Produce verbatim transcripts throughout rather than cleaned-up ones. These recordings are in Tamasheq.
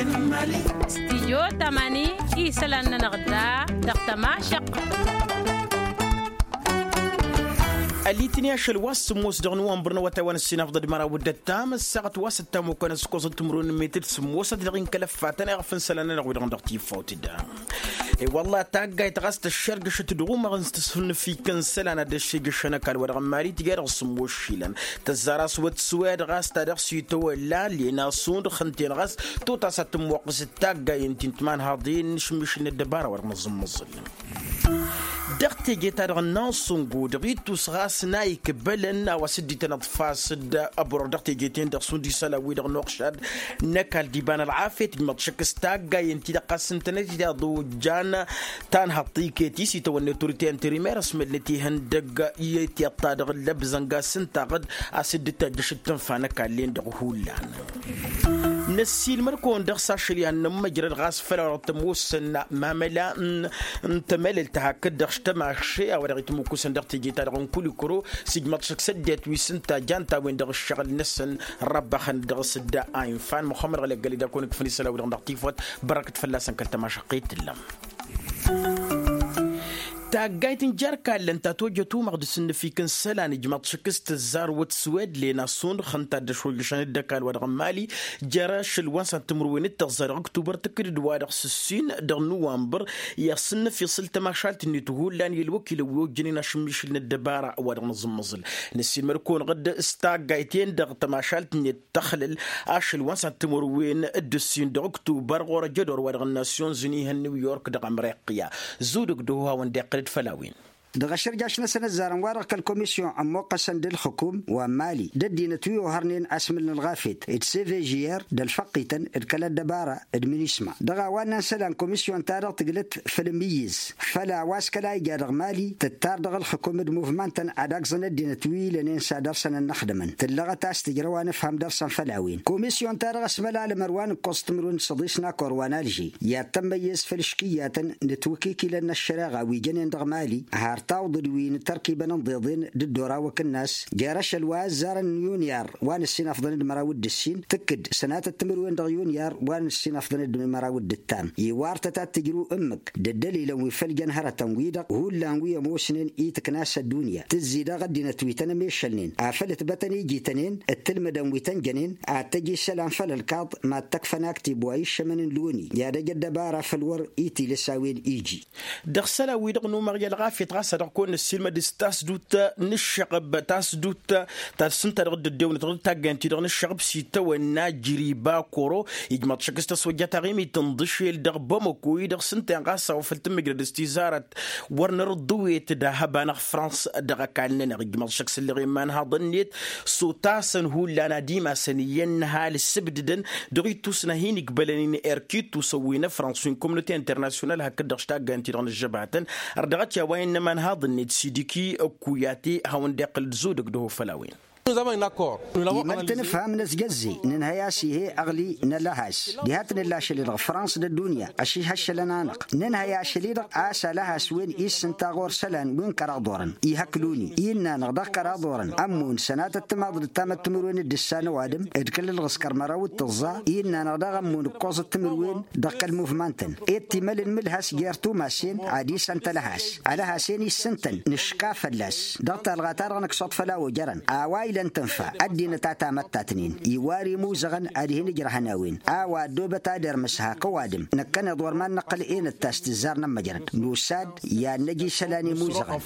Stijyo tamani isălan-nănăɣ da dăɣ-tămašăq. Ălitni ašăl wa s-sǝmmos dăɣ-nǝwănbăr n-awătay wa n-ăssinafḍăd măraw d-ăttam ăssaɣăt wa s-ăttam okănăs ǝkkoẓăt timǝrwen n-metăd sǝmmosăt dăɣ-inkăl ăffatăn iɣăf n-isălan-nănăɣ wi-dăɣ n-dăɣ-tifawt da. I-wălla taggayt ɣas tăššergăšăt dăɣ-umăɣ n-tǝsfǝnnǝfik n-isălan ad-ăššegăšăn ăkall wa dăɣ-n mali tǝja dăɣ-sǝmmos išilan. Tăzzar a-s wăt swed ɣas ta dăɣ-s itawălla len asundăɣ ǝnta-en ɣas tot a-s ad-tǝmmoqqǝsăt taggayen ti n-timanhaḍen n-ašǝmmišǝl n-ăddăbara wa dăɣ-nǝẓǝmmăẓǝl. Dăɣ-teje-ta-dăɣ n-ansungo dăɣ-ittus ɣas n-a ikbălăn a-wa s-dd-ităn ǝḍfas-dd ăboroɣ dăɣ-teje-ten-dăɣ šund isălan-wi-dăɣ n-uɣšad n-ăkall d-iba n-ălɣafyăt ijmăḍ šăkk s-taggayen-ti-dăɣ ɣas ǝntănet i-taḍojjan. Tanhăḍt-iket-i s-itawănne turite interimer ăsmălnăt ihăndăgg i-tiṭṭa dăɣ-ǝllăbzănga s-ǝntaɣ-dd a-s dd-tajjăšăt tǝnfa n-ăkall-en-dăɣ hullan. Năssiilmăd-kăwăn dăɣ-s ašăl i-ad-nămmăjrăd ɣas făll-a-wa dăɣ-tămoosăn mamăla n-tămălălt hakd-dăɣ s-tămaše a-wa dăɣ-itmǝkkusăn dăɣ-teje-ta-dăɣ n-kulikuro s-ijmăḍ šăkk s-ăddinăt wi s-ǝnta jan-t a-wen-dăɣ ǝššăɣǝl-năsăn. Răbbăxăn dăɣ-s dd-a infan muxămmăd ɣăleggăl-i d-ad-kăwăn-ikfăn isălan-wi-dăɣ dăɣ-tifawt. Bărrăkăt fălla-săn kăl-tămašăqqet tǝllăm. Taggayt n-jer-kallăn ta tojăt umăɣ d-asǝnnǝfik n-isălan ijmăḍ šăkk s-tǝzzar wăt swed lena sunɣ ǝnta a dd-ăšwăjjăšăn d-ăkall wa dăɣ-n mali jer-ašăl wa n-săn timǝrwen d-tăẓẓa dăɣ-ăktubăr tǝkkǝd-dd wa-dăɣ s-ǝssin dăɣ-nuwanbăr. I-asǝnnǝf iṣǝl tămašalt-net hullan i-ălwăkilăn wi ojjănen ašǝmmišǝl n-ăddăbara wa dăɣ-nǝẓǝmmăẓǝl. Năssiilmăd-kăwăn ɣǝd s-taggayt-en-dăɣ tămašalt-net tăxlăl ašăl wa n-săn timǝrwen d-ǝssin dăɣ-ăktubăr ɣur-ăjădor wa dăɣ-n nasyunzǝni ihăn new york dăɣ-amriqya. Zudǝk dăɣ-ohawăn d-iqqǝl-dd făll-a-wen. Dăɣ-ašărjaš-năsăn ăzzarăn wa-dăɣ kăl-komisyon ămmoqqăsăn d-ǝlxǝkum wa n-mali d-ăddinăt wi ohărnen asmǝl n-ălɣafyăt d-cvgr d-ălfăqqităn d-kăl-ăddăbara d-minisma dăɣ-a-wa ǝnnăn isălan komisyon-ta-dăɣ tǝglăt făll-imǝyyǝz făll-a-wa s-kăla ija dăɣ-mali tǝttar dăɣ-ǝlxǝkum d-muvman-tăn ad-agẓăn ăddinăt wi lănen s-ad-dăr-săn ănnăxdămăn tǝllăɣăt a-s tǝjrăw anǝfham dăr-săn făll-a-wen komisyon-ta-dăɣ ăsmălalămăr wa n-ǝkkoẓ timǝrwen d-săḍis n-akor wa n-alži i-ad-tămmăyyăz făll-iškǝyyatăn n-ǝtwǝkikilăn n-ăššăreɣa wi jănen dăɣ-mali har tawḍǝd wi n-tărkibăn ǝnḍeḍen d-ǝddorawăk ǝnnas jer-ašăl wa ăzzarăn n-yunyar wa n-ǝssin afḍăn d-măraw d-ǝssin tǝkkǝd sănatăt timǝrwen dăɣ-yunyar wa n-ǝssin afḍăn d-măraw d-ǝttam iwartăt ad-tǝjrǝw ǝmmǝk d-ăddălilăn wi făll-jăn hărătăn-wi-dăɣ hullan wi ămoosnen i-tǝkna s-ăddunya tǝzzi daɣ ăddinăt wi tăn-ămešălnen afăl ǝtbătăn ijităn-en d-tǝlmǝdăn wi tăn-jănen ad-tăj isălan făll-ălkaḍ mad-tăkfăn aktib wa iššămăn n-loni i-ad-ăj ăddăbara făll-wăr itilǝs a-wen iji. Dăɣ-isălan-wi-dăɣ n-umăɣ i-ălɣafyăt ɣas ad-dăɣ-kăwăn-năssiilmăd s-tasdut n-ǝššăɣăb tasdut ta s-ǝnta dăɣ-dd-ăddewănăt dăɣ-taggayăn-ti-dăɣ n-ǝššăɣăb s-itawănna jriba koro ijmaḍ šăkk s-tăswăjja taɣimit n-iḍǝšel dăɣ-bamăko-i-dăɣ s-ǝnta-en ɣas a-wa făl tǝmmǝjrăd s-tizarăt wăr nărǝḍḍǝwet d-ahăba n-ăɣfrăns dăɣ-ăkall-nănăɣ ijmaḍ šăkk s-ǝlleɣ iman-haḍăn-net s-otasăn hullan ad-imasăn iyyăn n-ăhal ǝssǝbdǝdăn dăɣ-ittus n-ad-hin-igbălăn-in erk ittusăn wi n-ăfrăns wi n-komnote internasyonal hakd-dăɣ s-taggayăn-ti-dăɣ n-ǝžžăbatăn ărdăɣăt i-a-wa innă iman-haḍăn-net sidiki ăkku i-ad-t-hawăn-dd-iqqǝl d-zudǝk dăɣ-ofăl a-wen. Imăl-t ǝnǝfham n-ăzjăzze nǝnhăy-as ih'-e ăɣli n-ălăhas diha t-nǝlla ašăl-i-dăɣ frans d-ăddunya ăšihăššălăn-anăɣ nǝnhăy ašăl-i-dăɣ a-s ălăhas wen-i s-ǝnta ɣur-isălan wi n-kăraḍ orăn ihăkl-uni innă-anăɣ dăɣ-kăraḍ orăn ămmun sănatăt timaḍ d-tamăttimǝrwen d-ǝssan ăwadǝm d-kăl-ǝlɣǝskăr măraw d-tǝẓẓa innă-anăɣ daɣ ămmun ǝkkoẓăt timǝrwen dăɣ-kăl-muvmantăn ed timăl n-imǝlhas jer-tumasen ad-isăn tălhas ălhas-en issǝntăn nǝška fălla-s dăɣ-talɣa-ta-dăɣ nǝksuḍ făll-a-wa ojărăn a-wa ilăn tǝnfa ăddinăt a tamăttatnen iwar imuzăɣăn ad-hin-ǝjrăhăn a-wen a-wa ăddoobăt ad-irmǝs hak ăwadǝm năkkăneḍ wăr mad-năqqăl enăt ta s-tǝzzar n-ămmăjrăd nusa-dd i-ad-năj isălan imuzăɣăn.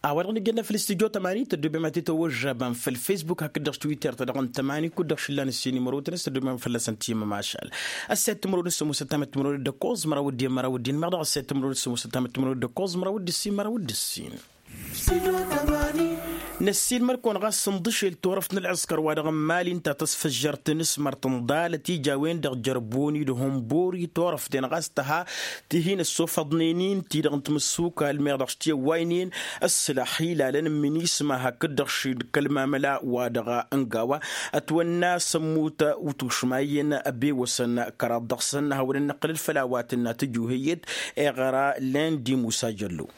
A-wa-dăɣ nǝjjănna făll-studyo tămani tăddoobem ad-t-tăwăžžabam făll-facebook hakd-dăɣ s-twitter-ta-dăɣ n-tămani kud-dăɣ šǝllan ǝssin imărotăn s-tăddoobem fălla-săn timămašal. Ăssayăt timărotăn s-ămoosăt tamăttimărotăn d-ǝkkoẓ măraw d-iyyăn măraw d-inmăɣ daɣ ăssayăt timărotăn s-ămoosăt tamăttimărotăn d-ǝkkoẓ măraw d-ǝssin măraw d-ǝssin. Năssiilmăd-kăwăn ɣas ǝnḍǝšel turăft n-ălɣǝskăr wa dăɣ-n mali ǝnta tăsfăjjărt n-asmărt ǝnḍalăt ija a-wen-dăɣ jărboni d-hunbori turăft-en ɣas tăha ti hin-ăssofăḍnen-in ti-dăɣ n-timǝssukal meɣ dăɣ-s ti ăwwaynen ăssălăx ilalăn n-minisma hakd-dăɣ šid kăl-mamăla wa dăɣ-ăngawa ătwănna s-ămmut utušma iyyăn ăbewăsăn kăraḍ dăɣ-săn hawăn-ănnăqqǝlăd făll-a-wa tǝnna tǝjuhǝyyăt. Iɣăra lendi musa jăllo.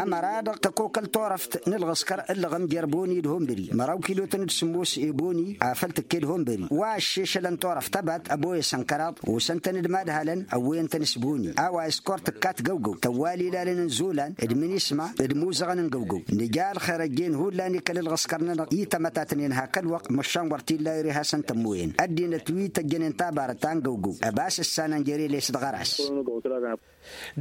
Ămăra-dăɣ tăkokăl turăft n-ǝlɣǝskăr ǝllăɣăm jer-boni d-hunbări măraw kidotăn d-sǝmmos i-boni afăl tǝkke d-hunbări wa ăššešălăn turăft ăbat ăboyăsăn kăraḍ osăn-tăn d-imadhalăn ăwwăyăn-tăn s-boni a-wa s-kor tǝkkat găwgăw tăwwal ilalăn n-izolan d-minisma d-imuzăɣăn n-găwgăw. Nǝja ălxer ăjjeen hullan i-kăl-ǝlɣǝskăr-nănăɣ i-tamătatnen hak ălwăqq măšan wăr t-illa ere hasăn-tămmoyăn ăddinăt wi tăjjănen tabarăt ta n-găwgăw ăbas ǝssanăn jer-eles d-ɣăras.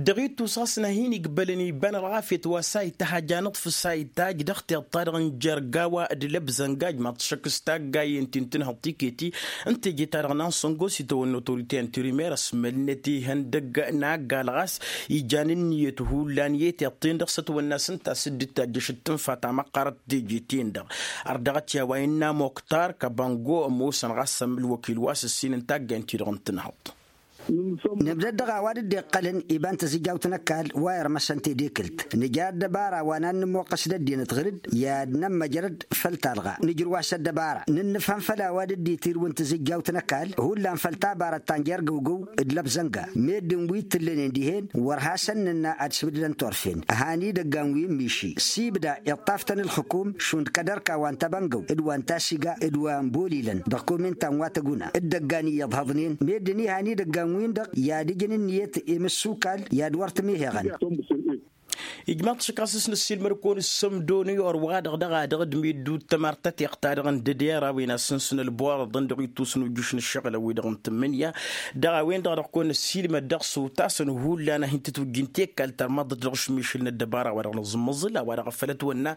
Dăɣ-ittus ɣas n-ad-hin-ig bălăn iba n-ălɣafyăt wa s-a ităhaj anǝḍfǝs a itajj dăɣ-tiḍt-ta-dăɣ n-jer-gawa d-lăbzănga ijmaḍ-t šăkk s-taggayen ti n-tǝnhăḍt tiket-i n-teje-ta-dăɣ n-ansăngo s-itawănna otorite interimer ăsmălnăt ihăndăg n-aggal ɣas ijan ǝnniyăt hullan i-tiḍt-ten-dăɣ s-ătwănna s-ǝnta s-dd-tajjăš d-tǝnfa ta măqqarăt teje-ten-dăɣ. Ărdăɣăt i-a-wa innă moktar kăbăngo ămoosăn ɣas ălwăkil wa s-ǝssin n-taggayen-ti-dăɣ n-tǝnhăḍt. Nǝbdăd dăɣ-a-wa dd-iqqălăn iba n-tăzǝjjawt n-ăkall wa irmăsăn tedekǝlt nǝja ăddăbara wa n-ad-nǝmmuqqăs d-ăddinăt ɣǝr-dd i-ad-nămmăjrăd făll-talɣa nǝjrǝw-as ăddăbara nǝnnǝfhăm făll-a-wa dd-itirǝwăn tăzǝjjawt n-ăkall hullan făll-tabarăt ta n-jer-găwgăw d-lăbzănga meddǝn wi t-tǝllănen dihen wăr hasăn-nǝnna ad-sǝbdǝdăn turfen. Ăhan idăggan wi n-miši s-ibda iṭṭaf-tăn ǝlxǝkum šund kăd-ărka wa n-tabăngăw d-wa n-tasiga d-wa n-bolilăn dăɣ-komintan wa tăguna d-idăggan iyyăḍ hăḍnen meddǝn ihan idăggan-win-dăɣ i-ad-ǝjǝn ǝnniyăt i-imǝssukal i-ad-wăr tǝmiheɣăn. Ijmaḍ-t šăkk a-s s-năssiilmăd-kăwăn ǝssǝmdonăy orwa-dăɣ dăɣ-a-dăɣ d-middut tămart tătiɣt-ta-dăɣ n-dădera a-wen a-s sǝnsǝn ălbuwaḍăḍăn dăɣ-ittus n-ujjǝš n-ǝššăɣǝl a-wen-dăɣ n-tǝmmǝnǝya dăɣ-a-wen-dăɣ dăɣ-kăwăn-năssiilmăd dăɣ-s otasăn hullan a hin-tǝtwǝjjǝn tekkalt ărmăḍăt dăɣ-ašmišǝl n-ăddăbara wa dăɣ-nǝẓǝmmăẓǝl a-wa dăɣ-făl ătwănna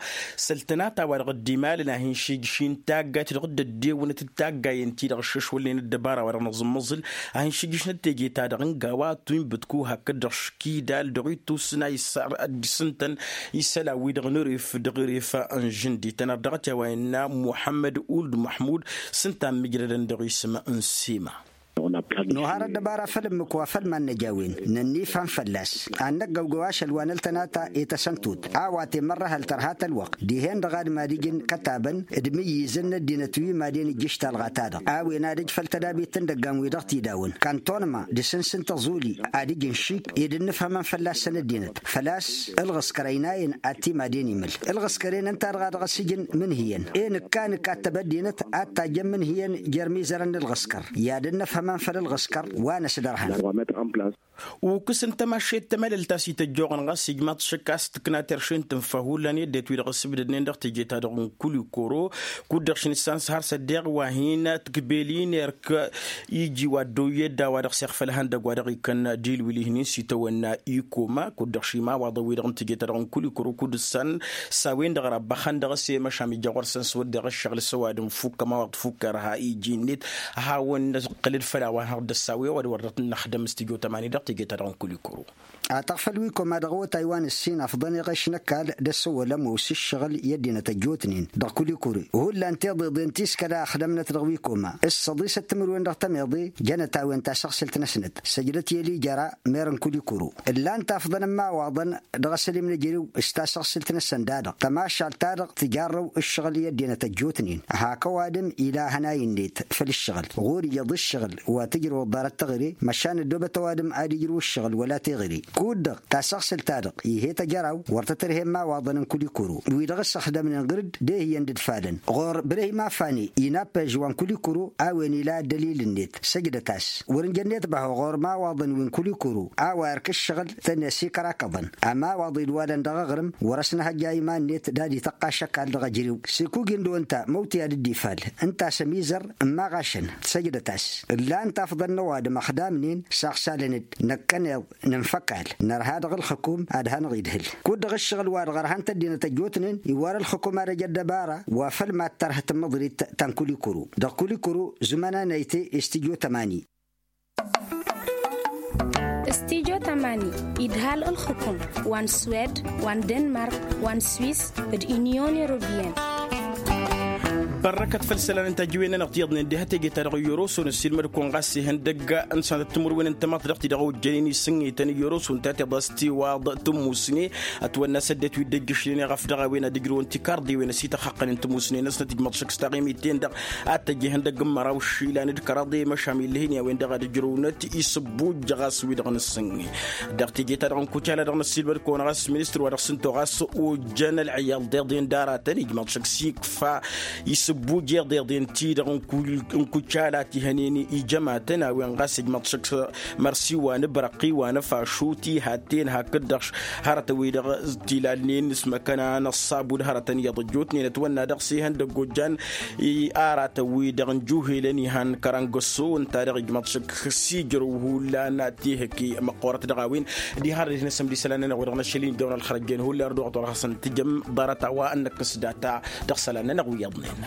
săl-tănata wa dăɣ-dd-imalăn a hin-šijšin taggayt dăɣ-dd-ăddewǝnăt d-taggayen-ti-dăɣ ǝššăšwălnen ăddăbara wa dăɣ-nǝẓǝmmăẓǝl a hin-šijšǝnăt teje-ta-dăɣ n-gawa tuy n-bǝdku hakd-dăɣ škidal dăɣ-ittus n-a issar ăddisǝntăn isălan-wi-dăɣ n-eref dăɣ-eref n-žǝndităn ărdăɣăt i-a-wa innă muḥămmăd uld muḥmud s-ǝnta n-imǝjrădăn dăɣ-isǝm n-sima. Nohar ăddăbara făll-ǝmmǝk wa făll-iman n-ăj a-wen nănnifhăm fălla-s ad-năggăwgăw ašăl wa n-ăltănata i-tasăn-tot a-wa temărrăhăl tărha-t ălwăqq dihen-dăɣ ad-mad-ijǝn kătabăn d-imǝyyizăn n-ăddinăt wi madăn ǝjjǝš talɣa-ta-dăɣ a-wen ad-ǝj făll-tădabit n-idăggan-wi-dăɣ t-idawăn kantănma d-asǝns n-tăẓuli ad-ǝjǝn šik ed ǝnnǝfhămăn fălla-săn ăddinăt făl-a-s ǝlɣǝskăr ăynayăn ad-t-imadăn imǝl ǝlɣǝskăren ǝnta-dăɣ a dăɣ-s ijǝn mǝnhǝyăn e nǝkka nǝkka ad-tăb ăddinăt ad-tajjăn mǝnhǝyăn jer-imizărăn n-ǝlɣǝskăr i-ad-ǝnnǝfhămăn făll-ǝlɣǝskăr wa năsdărhăn. Ukǝs n-tămašet tămălălt a-s ităjjoɣăn ɣas ijmaḍ šăkk a-s tǝkna terše n-tǝnfa hullan i-ăddinăt wi-dăɣ ăsbǝdădnen dăɣ-teje-ta-dăɣ n-kulikoro kud-dăɣ šinǝssan s-har s-ăddeɣ wa hin-tikbelin erk iji wa ăddooyy edda wa dăɣ-s iɣfăl ihăndăgg wa dăɣ-ikăn dilwil ihnin s-itawănna ikoma kud-dăɣ šimawaḍăn-wi-dăɣ n-teje-ta-dăɣ n-kulikoro kud-ǝssan s-a-wen-dăɣ răbbăxăn dăɣ-s i-măšan ija ɣur-săn s-wăr dăɣ-ǝššăɣǝl s-ăwadǝm fukk ămawaḍ fukk ărha iji-net ad-hawăn-năqqǝlăd făll-a-wa n-hăr-dd-ăssawe ăwadǝm wăr dăɣ-t năxdăm s-tijo tămani dăɣ-teje-ta-dăɣ n-kulikoro. Ataɣ făll-wi koma dăɣ-awătay wa n-ǝssin afḍăn iɣeš n-ăkall d-ăssăwălăm osǝššăɣǝl i-ăddinăt ăjjootnen dăɣ-kulikuri hullan tiḍeḍen ti s-kăla ăxdămnăt dăɣ-wi koma s-săḍisăt timǝrwen dăɣ-tămeḍe jănăt a-wen tasăɣsǝlt-năsnăt săjdăt i-ălijăra mer n-kulikuru ǝllan-t afḍăn n-imawaḍăn dăɣ-asălim n-ejărew s-tasăɣsǝlt-năsăn da-dăɣ tămašalt-ta-dăɣ tǝjarrăw ǝššăɣǝl i-ăddinăt ăjjootnen hak ăwadǝm ila hănay-net făll-ǝššăɣǝl ɣur-iyyăḍ ǝššăɣǝl wa tǝjrăwăḍ ḍarăt teɣăre măšan ăddoobăt ăwadǝm ad-ijrǝw ǝššăɣǝl wăla teɣăre kud-dăɣ tasăɣsǝlt-ta-dăɣ ih'-e tăjăraw wăr tăt-ărhe imawaḍăn n-kulikuru wi-dăɣ s-ăxdămnen ɣǝr-dd d-ehǝyyăn d-ǝdfalăn ɣur-ibrahim afane inappăyăž wa n-kulikuru a-wen ila ăddălil-net săjdăt-as wăr-ǝnjănnet băho ɣur-imawaḍăn wi n-kulikuru a-wa irk ǝššăɣǝl tăn-e-sikărakăḍăn ămawaḍ idwalăn dăɣ-aɣrǝm wăr-ăsnăhăjja iman-net d-ad-ităqqaš ăkall dăɣ-ejărew s-ikujǝn d-wănta măwtǝy ad-dd-ifal ǝnta a-s ămizăr n-imaɣašăn săjdăt-as ǝllan-t afḍăn n-ăwadǝm ăxdamnen saɣsalăn-dd năkkăneḍ nǝnfăkal nărha dăɣ-ǝlxǝkum ad-hanăɣ-idhǝl kud-dăɣ ǝššăɣǝl-wa-dăɣ ărhăn-t ăddinăt ăjjootnen iwwar ǝlxǝkum ad-ăj ăddăbara wa făl mad-tărhăt ǝmmăḍrit ta n-kulikuru dăɣ-kulikuru zumăn-anăyte s-tijo tămani. S-tijo tămani idhal ǝlxǝkum wa n-swed wa n-denmark wa n-swis d-inyon europeyăn. Ărrăkăt făll-isălan n-tajǝwen-nănăɣ ti iyyăḍnen diha teje-ta-dăɣ n-yoroso n-ăssiilmăd-kăwăn ɣas ihăndăgg n-sănatăt timǝrwen n-tamăḍt dăɣ-ti-dăɣ ojjănen isǝnge-tăn n-yoroso ǝnta a tiḍas tiwaḍ tǝmmusne. Ătwănna s-ăddinăt wi dd-ăjjǝšnen i-ɣăf dăɣ-a-wen ad-ǝjrăwăn tikarḍewen ăsităxxăqqănen tǝmmusne-năsnăt ǝjmăḍ šăkk s-taɣimit-ten-dăɣ ad-t-ăj ihăndăgg n-măraw išilan d-kăraḍe măšan illăh-in i-a-wen-dăɣ ad-ǝjrăwnăt isǝbbujj ɣas wi-dăɣ n-ǝssǝnge. Dăɣ-teje-ta-dăɣ n-kucala dăɣ-năssiilmăd-kăwăn ɣas ministăr wa dăɣ-s ǝnta ɣas ojjăn ălɣiyaḍ d-iḍen d-aratăn ijmăḍ šăkk s-ikfa isǝbbujj iḍeḍen-ti-dăɣ n-kucala ti hănen ijămatăn a-wen ɣas ijmăḍ šăkk s-mărsi wa n-ibrăqqi wa n-afašut iha t-ten hakd-dăɣ hărătăn-wi-dăɣ tilalnen s-măkăna n-ăṣṣabud hărătăn iyyăḍ ăjjootnen ătwănna dăɣ-s ihăndăgg ojjan aratăn-wi-dăɣ n-juhelăn ihan kăra n-găsso ǝnta-dăɣ ijmăḍ šăkk s-ijrăw hullan tihăke măqqoorăt dăɣ-a-wen. Diha ărrăd hin-ăssăm d-isălan-nănăɣ wa dăɣ-năšăl-in dăɣ-nălxărăjjen hullan ărdăɣăt wa dăɣ-hasăn-tǝjăm ḍarăt a-wa ănnăkkăs data dăɣ-isălan-nănăɣ wi iyyăḍnen.